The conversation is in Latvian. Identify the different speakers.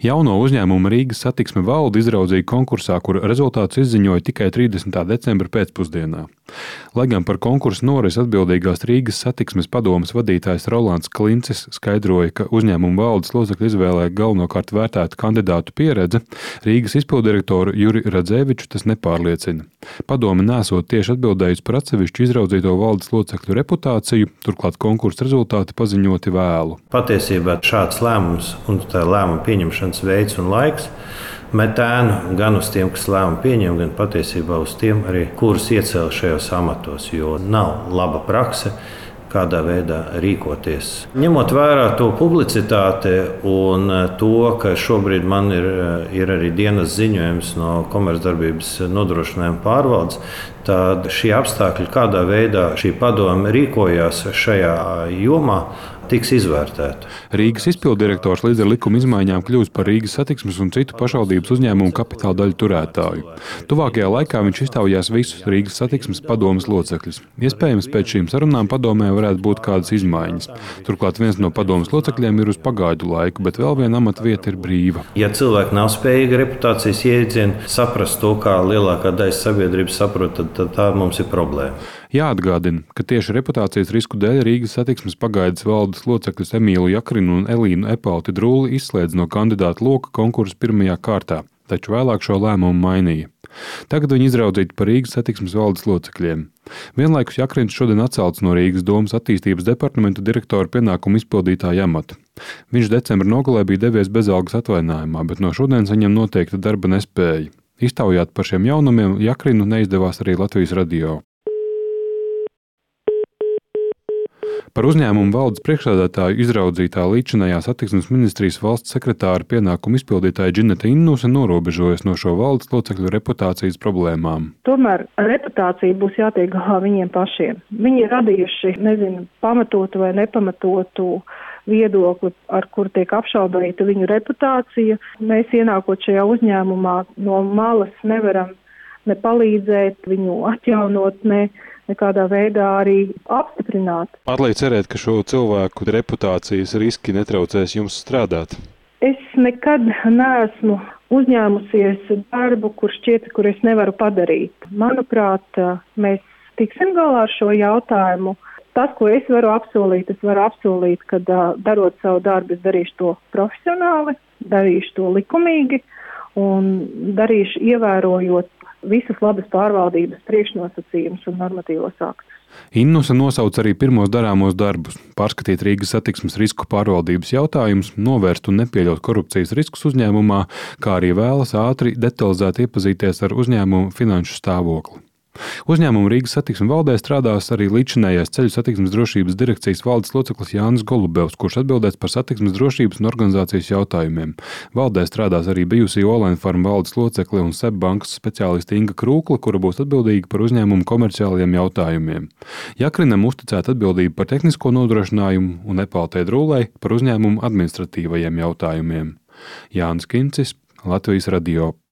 Speaker 1: Jauno uzņēmumu Rīgas Satiksme valde izraudzīja konkursā, kura rezultātus izziņoja tikai 30. decembra pēcpusdienā. Lai gan par konkursu norisi atbildīgās Rīgas Satiksmes padomes vadītājs Rolands Klincis skaidroja, ka uzņēmuma valdes locekļu izvēlē galvenokārt vērtēta kandidātu pieredze, Rīgas izpilddirektoru Juri Radzeviču tas nepārliecina. Padome nesot tieši atbildējusi par atsevišķu izraudzīto valdes locekļu reputāciju, turklāt konkursa rezultāti paziņoti vēlu.
Speaker 2: Patiesībā šāds lēmums un tā lēmuma pieņemšanas veids un laiks met ēnu gan uz tiem, kas lēmumu pieņem, gan patiesībā uz tiem, arī, kurus iecēla šajos amatos, jo nav laba prakse, kādā veidā rīkoties. Ņemot vērā to publicitāti un to, ka šobrīd man ir arī dienas ziņojums no Komercdarbības nodrošinājuma pārvaldes, tad šie apstākļi, kādā veidā šī padome rīkojās šajā jomā, tiks izvērtēta.
Speaker 1: Rīgas izpilddirektors līdz ar likuma izmaiņām kļūs par Rīgas Satiksmes un citu pašvaldības uzņēmumu kapitāla daļu turētāju. Tuvākajā laikā viņš iztaujās visus Rīgas Satiksmes padomes locekļus. Iespējams, pēc šīm sarunām padomē varētu būt kādas izmaiņas. Turklāt viens no padomes locekļiem ir uz pagaidu laiku, bet vēl viena amata vieta ir brīva.
Speaker 2: Ja cilvēki nav spējīgi reputācijas jēdzienu saprast to, kā lielākā daļa sabiedrības saprot, tad tā mums ir problēma.
Speaker 1: Jāatgādina, ka tieši reputācijas risku dēļ Rīgas Satiksmes pagaidas valdes locekļus Emīlu Jakrinu un Elīnu Epalti Drūli izslēdz no kandidātu loka konkursa pirmajā kārtā, taču vēlāk šo lēmumu mainīja. Tagad viņi izraudzīti par Rīgas Satiksmes valdes locekļiem. Vienlaikus Jakrins šodien atcelts no Rīgas domas attīstības departamenta direktora pienākumu izpildītāja amata. Viņš decembra nogalē bija devies bezalgas atvaļinājumā, bet no šodienas viņam noteikta darba nespēja. Iztaujāt par šiem jaunumiem Jakrinu neizdevās arī Latvijas radio. Par uzņēmumu valdes priekšsēdētāju izraudzītā līdzinājā satiksmes ministrijas valsts sekretāra pienākumu izpildītāja Džineta Innuse norobežojas no šo valdes locekļu reputācijas problēmām.
Speaker 3: Tomēr reputācija būs jātiek galā viņiem pašiem. Viņi ir radījuši, pamatotu vai nepamatotu viedokli, ar kur tiek apšaubīta viņu reputācija. Mēs ienākot šajā uzņēmumā no malas nevaram ne palīdzēt, viņu atjaunot, nekādā veidā arī apstiprināt.
Speaker 1: Atliek cerēt, ka šo cilvēku reputācijas riski netraucēs jums strādāt?
Speaker 3: Es nekad neesmu uzņēmusies darbu, kur es nevaru padarīt. Manuprāt, mēs tiksim galā ar šo jautājumu. Tas, ko es varu apsolīt, ka darot savu darbu, es darīšu to profesionāli, darīšu to likumīgi un darīšu ievērojot visas labas pārvaldības priekšnosacījumus un normatīvos aktus.
Speaker 1: Innuse nosauc arī pirmos darāmos darbus – pārskatīt Rīgas Satiksmes risku pārvaldības jautājumus, novērst un nepieļaut korupcijas riskus uzņēmumā, kā arī vēlas ātri detalizēti iepazīties ar uzņēmumu finanšu stāvokli. Uzņēmumu Rīgas Satiksme valdē strādās arī līdzinājais Ceļu satiksmes drošības direkcijas valdes loceklis Jānis Golubevs, kurš atbildēs par satiksmes drošības un organizācijas jautājumiem. Valdē strādās arī bijusī Olain Farm valdes locekli un SEB bankas speciāliste Inga Krūkla, kura būs atbildīga par uzņēmumu komerciālajiem jautājumiem. Jakrinam uzticēta atbildība par tehnisko nodrošinājumu un Epaltei Drūlei par uzņēmumu administratīvajiem jautājumiem. Jānis Kincis, Latvijas radio.